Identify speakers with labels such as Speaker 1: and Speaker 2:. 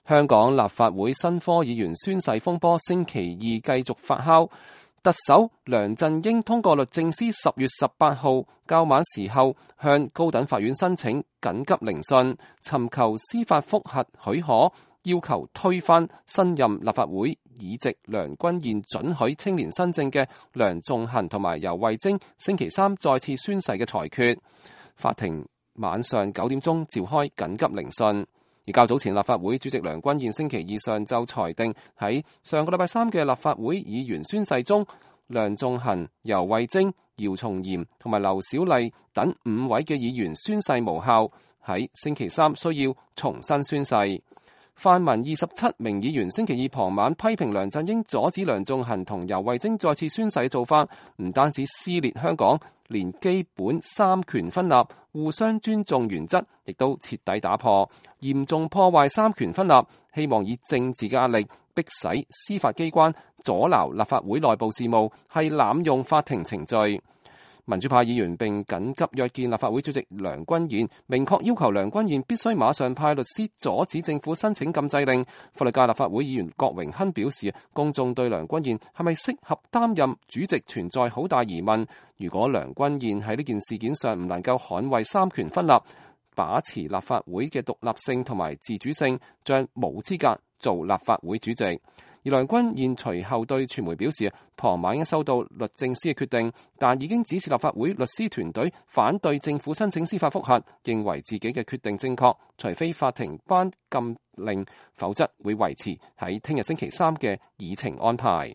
Speaker 1: 香港立法會新科議員宣誓風波星期二繼續發酵，特首梁振英通過律政司10月18號較晚時候向高等法院申請緊急聆訊，尋求司法覆核許可，要求推翻新任立法會議席梁君彥准許青年新政嘅梁頌恆同埋游蕙禎星期三再次宣誓嘅裁決。法庭晚上9點鐘召開緊急聆訊。而較早前立法會主席梁君彥星期二上晝裁定，喺上個禮拜三嘅立法會議員宣誓中，梁頌恆、游蕙禎、姚松炎同埋劉小麗等5位嘅議員宣誓無效，喺星期三需要重新宣誓。泛民27名議員星期二傍晚批評梁振英阻止梁頌恆同游蕙禎再次宣誓嘅做法，唔單止撕裂香港，連基本三權分立、互相尊重原則亦都徹底打破，嚴重破壞三權分立，希望以政治嘅壓力迫使司法機關阻撓立法會內部事務，係濫用法庭程序。民主派議員並緊急約見立法會主席梁君彥，明確要求梁君彥必須馬上派律師阻止政府申請禁制令。法律界立法會議員郭榮鏗表示，公眾對梁君彥係咪適合擔任主席存在好大疑問。如果梁君彥喺呢件事件上唔能夠捍衛三權分立，把持立法會嘅獨立性同埋自主性，將冇資格做立法會主席。而梁君彥隨後對傳媒表示，傍晚已經收到律政司嘅決定，但已經指示立法會律師團隊反對政府申請司法覆核，認為自己嘅決定正確，除非法庭頒禁令，否則會維持喺聽日星期三嘅議程安排。